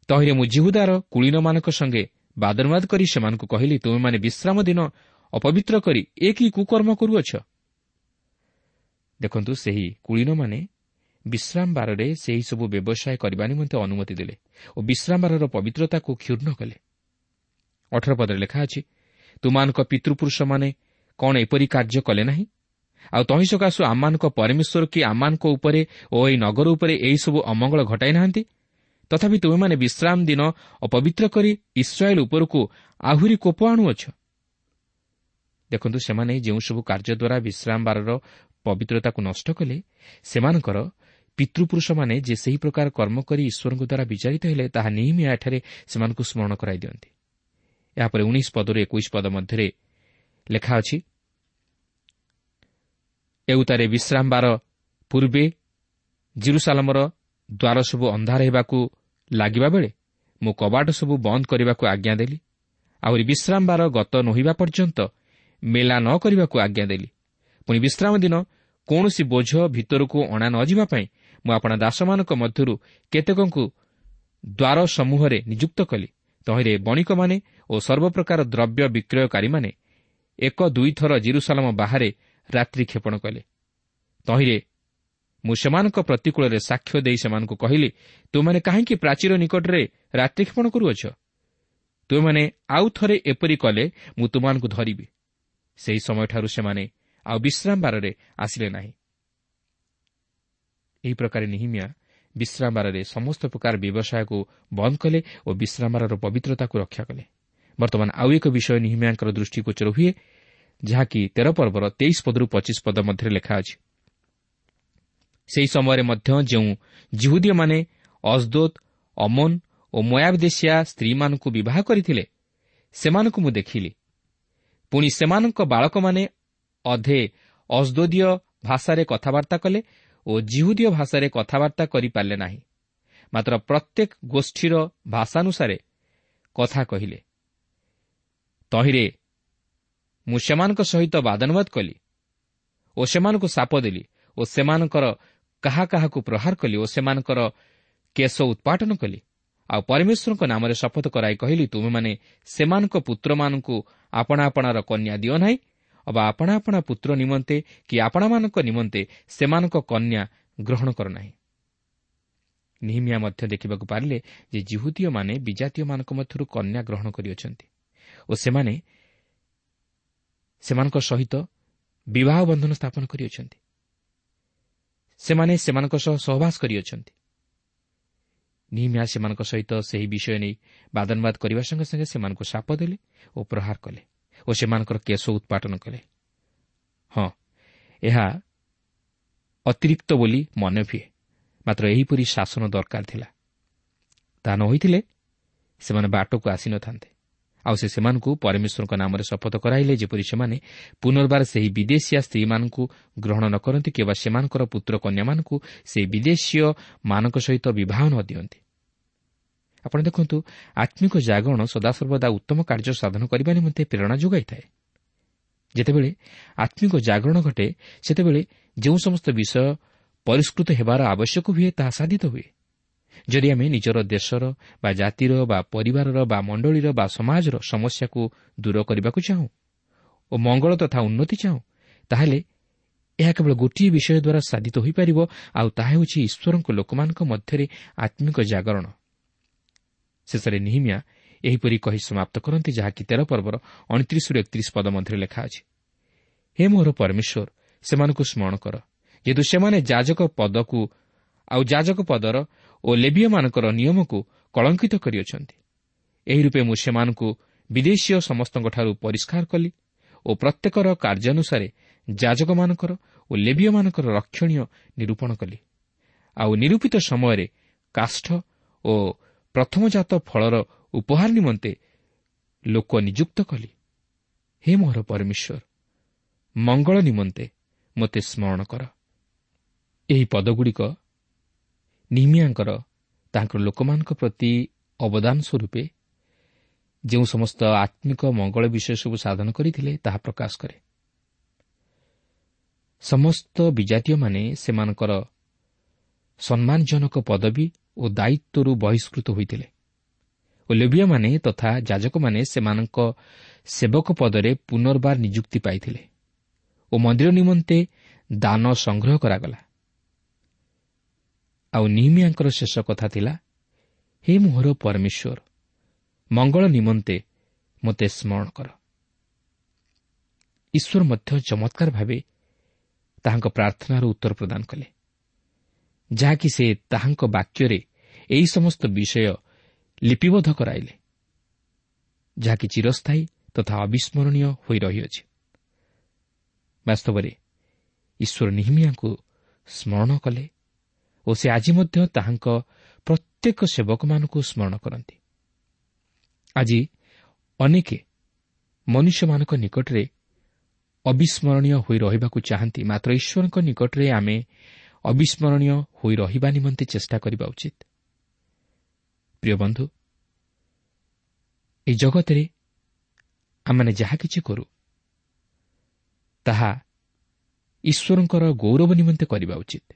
ତହିଁରେ ମୁଁ ଯିହୁଦାର କୁଳୀନମାନଙ୍କ ସଙ୍ଗେ ବାଦନବାଦ କରି ସେମାନଙ୍କୁ କହିଲି, ତୁମେମାନେ ବିଶ୍ରାମ ଦିନ ଅପବିତ୍ର କରି ଏ କି କୁକର୍ମ କରୁଅଛ? ଦେଖନ୍ତୁ, ସେହି କୁଳୀନମାନେ ବିଶ୍ରାମବାରରେ ସେହିସବୁ ବ୍ୟବସାୟ କରିବା ନିମନ୍ତେ ଅନୁମତି ଦେଲେ ଓ ବିଶ୍ରାମବାରର ପବିତ୍ରତାକୁ କ୍ଷୁଣ୍ଣ କଲେ। 18 ପଦରେ ଲେଖା ଅଛି, ତୁମାନଙ୍କ ପିତୃପୁରୁଷମାନେ କ'ଣ ଏପରି କାର୍ଯ୍ୟ କଲେ ନାହିଁ? ଆଉ ତହିଁ ସକାଶୁ ଆମମାନଙ୍କ ପରମେଶ୍ୱର କି ଆମମାନଙ୍କ ଉପରେ ଓ ଏହି ନଗର ଉପରେ ଏହିସବୁ ଅମଙ୍ଗଳ ଘଟାଇ ନାହାନ୍ତି? ତଥାପି ତୁମେମାନେ ବିଶ୍ରାମ ଦିନ ଅପବିତ୍ର କରି ଇସ୍ରାଏଲ ଉପରକୁ ଆହୁରି କୋପ ଆଣୁଅଛ। ଦେଖନ୍ତୁ, ସେମାନେ ଯେଉଁସବୁ କାର୍ଯ୍ୟ ଦ୍ୱାରା ବିଶ୍ରାମବାରର ପବିତ୍ରତାକୁ ନଷ୍ଟ କଲେ, ସେମାନଙ୍କର ପିତୃପୁରୁଷମାନେ ଯେ ସେହି ପ୍ରକାର କର୍ମ କରି ଈଶ୍ୱରଙ୍କ ଦ୍ୱାରା ବିଚାରିତ ହେଲେ, ତାହା ନିହିମିଆ ଏଠାରେ ସେମାନଙ୍କୁ ସ୍ମରଣ କରାଇ ଦିଅନ୍ତି। ଏହାପରେ 19 ପଦରୁ 21 ପଦ ମଧ୍ୟରେ ଲେଖା ଅଛି, ଏଉତାରେ ବିଶ୍ରାମବାର ପୂର୍ବେ ଜିରୁସାଲମର ଦ୍ୱାର ସବୁ ଅନ୍ଧାର ହେବାକୁ ଲାଗିବା ବେଳେ ମୁଁ କବାଟ ସବୁ ବନ୍ଦ କରିବାକୁ ଆଜ୍ଞା ଦେଲି। ଆହୁରି ବିଶ୍ରାମବାର ଗତ ନୋହିବା ପର୍ଯ୍ୟନ୍ତ ମେଲା ନ କରିବାକୁ ଆଜ୍ଞା ଦେଲି। ପୁଣି ବିଶ୍ରାମ ଦିନ କୌଣସି ବୋଝ ଭିତରକୁ ଅଣା ନଯିବା ପାଇଁ ମୁଁ ଆପଣା ଦାସମାନଙ୍କ ମଧ୍ୟରୁ କେତେକଙ୍କୁ ଦ୍ୱାର ସମୂହରେ ନିଯୁକ୍ତ କଲି। ତହିଁରେ ବଣିକମାନେ ଓ ସର୍ବପ୍ରକାର ଦ୍ରବ୍ୟ ବିକ୍ରୟକାରୀମାନେ 1-2 ଥର ଜିରୁସାଲମ ବାହାରେ ରାତ୍ରି କ୍ଷେପଣ କଲେ। ତହିଁରେ ମୁଁ ସେମାନଙ୍କ ପ୍ରତିକୂଳରେ ସାକ୍ଷ୍ୟ ଦେଇ ସେମାନଙ୍କୁ କହିଲି, ତୁମେମାନେ କାହିଁକି ପ୍ରାଚୀର ନିକଟରେ ରାତ୍ରି କ୍ଷେପଣ କରୁଅଛ? ତୁମେମାନେ ଆଉ ଥରେ ଏପରି କଲେ ମୁଁ ତୁମମାନଙ୍କୁ ଧରିବି। ସେହି ସମୟଠାରୁ ସେମାନେ ଆଉ ବିଶ୍ରାମବାରରେ ଆସିଲେ ନାହିଁ। ଏହି ପ୍ରକାର ନିହିମିଆ ବିଶ୍ରାମବାରରେ ସମସ୍ତ ପ୍ରକାର ବ୍ୟବସାୟକୁ ବନ୍ଦ କଲେ ଓ ବିଶ୍ରାମବାରର ପବିତ୍ରତାକୁ ରକ୍ଷା କଲେ। ବର୍ତ୍ତମାନ ଆଉ ଏକ ବିଷୟ ନିହିମିଆଙ୍କର ଦୃଷ୍ଟିଗୋଚର ହୁଏ, ଯାହାକି 13 ପର୍ବର 23 ପଦରୁ 25 ପଦ ମଧ୍ୟରେ ଲେଖା ଅଛି। ସେହି ସମୟରେ ମଧ୍ୟ ଯେଉଁ ଯିହୁଦୀୟମାନେ ଅସ୍ଦୋଦ, ଅମୋନ ଓ ମୋୟାବ ଦେଶୀୟା ସ୍ତ୍ରୀମାନଙ୍କୁ ବିବାହ କରିଥିଲେ, ସେମାନଙ୍କୁ ମୁଁ ଦେଖିଲି। ପୁଣି ସେମାନଙ୍କ ବାଳକମାନେ ଅଧେ ଅସ୍ଦୋଦୀୟ ଭାଷାରେ କଥାବାର୍ତ୍ତା କଲେ ଓ ଯିହୁଦୀୟ ଭାଷାରେ କଥାବାର୍ତ୍ତା କରିପାରିଲେ ନାହିଁ, ମାତ୍ର ପ୍ରତ୍ୟେକ ଗୋଷ୍ଠୀର ଭାଷାନୁସାରେ କଥା କହିଲେ। ତହିଁରେ ମୁଁ ସେମାନଙ୍କ ସହିତ ବାଦାନୁବାଦ କଲି ଓ ସେମାନଙ୍କୁ ଶାପ ଦେଲି ଓ ସେମାନଙ୍କର କାହା କାହାକୁ ପ୍ରହାର କଲି ଓ ସେମାନଙ୍କର କେଶ ଉତ୍ପାଟନ କଲି। ଆଉ ପରମେଶ୍ୱରଙ୍କ ନାମରେ ଶପଥ କରାଇ କହିଲି, ତୁମେମାନେ ସେମାନଙ୍କ ପୁତ୍ରମାନଙ୍କୁ ଆପଣା ଆପଣାର କନ୍ୟା ଦିଅ ନାହିଁ, ଅବା ଆପଣା ଆପଣା ପୁତ୍ର ନିମନ୍ତେ କି ଆପଣାମାନଙ୍କ ନିମନ୍ତେ ସେମାନଙ୍କ କନ୍ୟା ଗ୍ରହଣ କର ନାହିଁ। ନିହିମିଆ ମଧ୍ୟ ଦେଖିବାକୁ ପାରିଲେ ଯେ ଯିହୁଦୀୟମାନେ ବିଜାତୀୟମାନଙ୍କ ମଧ୍ୟରୁ କନ୍ୟା ଗ୍ରହଣ କରିଅଛନ୍ତି ଓ ସେମାନେ ସେମାନଙ୍କ ସହିତ ବିବାହ ବନ୍ଧନ ସ୍ଥାପନ କରିଅଛନ୍ତି। ସେମାନେ ସେମାନଙ୍କ ସହ ସହବାସ କରିଅଛନ୍ତି। ନିହିମିଆ ସେମାନଙ୍କ ସହିତ ସେହି ବିଷୟ ନେଇ ବାଦନବାଦ କରିବା ସଙ୍ଗେ ସଙ୍ଗେ ସେମାନଙ୍କୁ ଶାପ ଦେଲେ ଓ ପ୍ରହାର କଲେ ଓ ସେମାନଙ୍କର କେଶ ଉତ୍ପାଟନ କଲେ। ହଁ, ଏହା ଅତିରିକ୍ତ ବୋଲି ମନେ ହୁଏ, ମାତ୍ର ଏହିପରି ଶାସନ ଦରକାର ଥିଲା। ତାହା ନ ହୋଇଥିଲେ ସେମାନେ ବାଟକୁ ଆସିନଥାନ୍ତେ। ଆଉ ସେ ସେମାନଙ୍କୁ ପରମେଶ୍ୱରଙ୍କ ନାମରେ ଶପଥ କରାଇଲେ, ଯେପରି ସେମାନେ ପୁନର୍ବାର ସେହି ବିଦେଶୀୟା ସ୍ତ୍ରୀମାନଙ୍କୁ ଗ୍ରହଣ ନ କରନ୍ତି କିମ୍ବା ସେମାନଙ୍କର ପୁତ୍ର କନ୍ୟାମାନଙ୍କୁ ସେହି ବିଦେଶୀୟମାନଙ୍କ ସହିତ ବିବାହ ନ ଦିଅନ୍ତି। ଆପଣ ଦେଖନ୍ତୁ, ଆତ୍ମିକ ଜାଗରଣ ସଦାସର୍ବଦା ଉତ୍ତମ କାର୍ଯ୍ୟ ସାଧନ କରିବା ନିମନ୍ତେ ପ୍ରେରଣା ଯୋଗାଇଥାଏ। ଯେତେବେଳେ ଆତ୍ମିକ ଜାଗରଣ ଘଟେ, ସେତେବେଳେ ଯେଉଁ ସମସ୍ତ ବିଷୟ ପରିଷ୍କୃତ ହେବାର ଆବଶ୍ୟକ ହୁଏ, ତାହା ସାଧିତ ହୁଏ। ଯଦି ଆମେ ନିଜର ଦେଶର ବା ଜାତିର ବା ପରିବାରର ବା ମଣ୍ଡଳୀର ବା ସମାଜର ସମସ୍ୟାକୁ ଦୂର କରିବାକୁ ଚାହୁଁ ଓ ମଙ୍ଗଳ ତଥା ଉନ୍ନତି ଚାହୁଁ, ତାହେଲେ ଏହା କେବଳ ଗୋଟିଏ ବିଷୟ ଦ୍ୱାରା ସାଧିତ ହୋଇପାରିବ, ଆଉ ତାହା ହେଉଛି ଈଶ୍ୱରଙ୍କ ଲୋକମାନଙ୍କ ମଧ୍ୟରେ ଆତ୍ମିକ ଜାଗରଣ। ଶେଷରେ ନିହିମିଆ ଏହିପରି କହି ସମାପ୍ତ କରନ୍ତି, ଯାହାକି 13 ପର୍ବର 29-31 ପଦ ମଧ୍ୟରେ ଲେଖା ଅଛି। ହେ ମୋର ପରମେଶ୍ୱର, ସେମାନଙ୍କୁ ସ୍ମରଣ କର, ଯେହେତୁ ସେମାନେ ଯାଜକ ପଦକୁ ଆଉ ଯାଜକ ପଦର ଓ ଲେବୀୟମାନଙ୍କର ନିୟମକୁ କଳଙ୍କିତ କରିଅଛନ୍ତି। ଏହି ରୂପେ ମୁଁ ସେମାନଙ୍କୁ ବିଦେଶୀୟ ସମସ୍ତଙ୍କଠାରୁ ପରିଷ୍କାର କଲି ଓ ପ୍ରତ୍ୟେକର କାର୍ଯ୍ୟାନୁସାରେ ଯାଜକମାନଙ୍କର ଓ ଲେବୀୟମାନଙ୍କର ରକ୍ଷଣୀୟ ନିରୂପଣ କଲି। ଆଉ ନିରୂପିତ ସମୟରେ କାଷ୍ଠ ଓ ପ୍ରଥମଜାତ ଫଳର ଉପହାର ନିମନ୍ତେ ଲୋକ ନିଯୁକ୍ତ କଲି। ହେ ମୋହର ପରମେଶ୍ୱର, ମଙ୍ଗଳ ନିମନ୍ତେ ମୋତେ ସ୍ମରଣ କର। ଏହି ପଦଗୁଡ଼ିକ ନିହିମିୟାଙ୍କର ତାଙ୍କର ଲୋକମାନଙ୍କ ପ୍ରତି ଅବଦାନ ସ୍ୱରୂପେ ଯେଉଁ ସମସ୍ତ ଆତ୍ମିକ ମଙ୍ଗଳ ବିଷୟ ସବୁ ସାଧନ କରିଥିଲେ ତାହା ପ୍ରକାଶ କରେ। ସମସ୍ତ ବିଜାତୀୟମାନେ ସେମାନଙ୍କର ସମ୍ମାନଜନକ ପଦବୀ ଓ ଦାୟିତ୍ୱରୁ ବହିଷ୍କୃତ ହୋଇଥିଲେ ଓ ଲେବୀୟମାନେ ତଥା ଯାଜକମାନେ ସେମାନଙ୍କ ସେବକ ପଦରେ ପୁନର୍ବାର ନିଯୁକ୍ତି ପାଇଥିଲେ ଓ ମନ୍ଦିର ନିମନ୍ତେ ଦାନ ସଂଗ୍ରହ କରାଗଲା। ଆଉ ନିହିମିୟାଙ୍କର ଶେଷ କଥା ଥିଲା, ହେ ମୋହର ପରମେଶ୍ୱର, ମଙ୍ଗଳ ନିମନ୍ତେ ମୋତେ ସ୍ମରଣ କର। ଈଶ୍ୱର ମଧ୍ୟ ଚମତ୍କାର ଭାବେ ତାହାଙ୍କ ପ୍ରାର୍ଥନାର ଉତ୍ତର ପ୍ରଦାନ କଲେ, ଯାହାକି ସେ ତାହାଙ୍କ ବାକ୍ୟରେ ଏହି ସମସ୍ତ ବିଷୟ ଲିପିବଦ୍ଧ କରାଇଲେ, ଯାହାକି ଚିରସ୍ଥାୟୀ ତଥା ଅବିସ୍ମରଣୀୟ ହୋଇ ରହିଅଛି। ବାସ୍ତବରେ ଈଶ୍ୱର ନିହିମିୟାଙ୍କୁ ସ୍ମରଣ କଲେ ଓ ସେ ଆଜି ମଧ୍ୟ ତାହାଙ୍କ ପ୍ରତ୍ୟେକ ସେବକମାନଙ୍କୁ ସ୍ମରଣ କରନ୍ତି। ଆଜି ଅନେକ ମନୁଷ୍ୟମାନଙ୍କ ନିକଟରେ ଅବିସ୍ମରଣୀୟ ହୋଇ ରହିବାକୁ ଚାହାନ୍ତି, ମାତ୍ର ଈଶ୍ୱରଙ୍କ ନିକଟରେ ଆମେ ଅବିସ୍ମରଣୀୟ ହୋଇ ରହିବା ନିମନ୍ତେ ଚେଷ୍ଟା କରିବା ଉଚିତ। ପ୍ରିୟ ବନ୍ଧୁ, ଏହି ଜଗତରେ ଆମମାନେ ଯାହା କିଛି କରୁ ତାହା ଈଶ୍ୱରଙ୍କର ଗୌରବ ନିମନ୍ତେ କରିବା ଉଚିତ,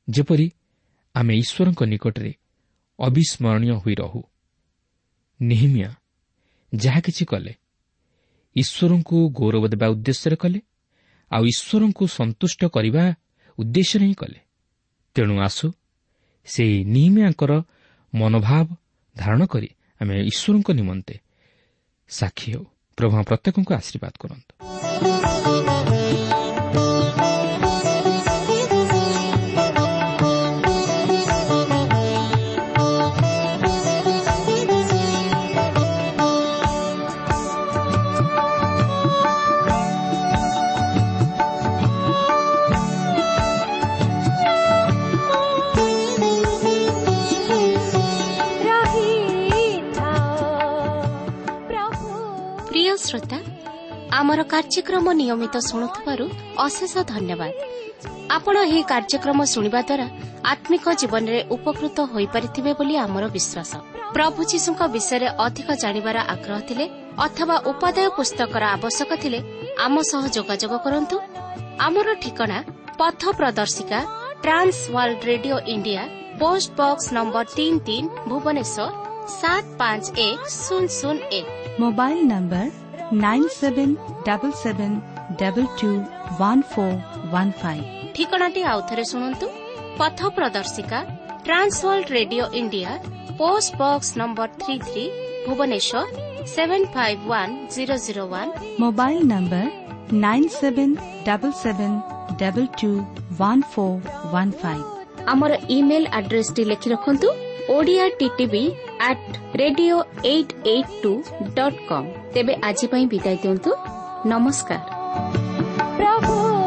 ଯେପରି ଆମେ ଈଶ୍ୱରଙ୍କ ନିକଟରେ ଅବିସ୍ମରଣୀୟ ହୋଇ ରହୁ। ନିହିମିୟା ଯାହା କିଛି କଲେ ଈଶ୍ୱରଙ୍କୁ ଗୌରବ ଦେବା ଉଦ୍ଦେଶ୍ୟରେ କଲେ, ଆଉ ଈଶ୍ୱରଙ୍କୁ ସନ୍ତୁଷ୍ଟ କରିବା ଉଦ୍ଦେଶ୍ୟରେ ହିଁ କଲେ। ତେଣୁ ଆସୁ ସେହି ନିହିମିୟାଙ୍କର ମନୋଭାବ ଧାରଣ କରି ଆମେ ଈଶ୍ୱରଙ୍କ ନିମନ୍ତେ ସାକ୍ଷୀ ହେଉ। ପ୍ରଭୁ ପ୍ରତ୍ୟେକଙ୍କୁ ଆଶୀର୍ବାଦ କରନ୍ତୁ। ଶ୍ରୋତା, ଆମର କାର୍ଯ୍ୟକ୍ରମ ନିୟମିତ ଶୁଣୁଥିବାରୁ ଅଶେଷ ଧନ୍ୟବାଦ। ଆପଣ ଏହି କାର୍ଯ୍ୟକ୍ରମ ଶୁଣିବା ଦ୍ୱାରା ଆତ୍ମିକ ଜୀବନରେ ଉପକୃତ ହୋଇପାରିଥିବେ ବୋଲି ଆମର ବିଶ୍ୱାସ। ପ୍ରଭୁ ଯୀଶୁଙ୍କ ବିଷୟରେ ଅଧିକ ଜାଣିବାର ଆଗ୍ରହ ଥିଲେ ଅଥବା ଉପାଦେୟ ପୁସ୍ତକର ଆବଶ୍ୟକ ଥିଲେ ଆମ ସହ ଯୋଗାଯୋଗ କରନ୍ତୁ। ଆମର ଠିକଣା ପଥ ପ୍ରଦର୍ଶିକା, Trans World Radio India, post box number 33, Bhubaneswar 751001। Mobile number 9777221415। ଠିକଣାଟି ଆଉଥରେ ଶୁଣନ୍ତୁ। ପଥ ପ୍ରଦର୍ଶିକା, Trans World Radio India, post box number 33, Bhubaneswar 751001। Mobile number 9777221415। ଆମର ଇମେଲ୍ ଆଡ୍ରେସଟି ଲେଖି ରଖନ୍ତୁ, Odia TTV @radio882.com। ତେବେ ଆଜି ପାଇଁ ବିଦାୟ ଦିଅନ୍ତୁ। ନମସ୍କାର। ପ୍ରଭୁ।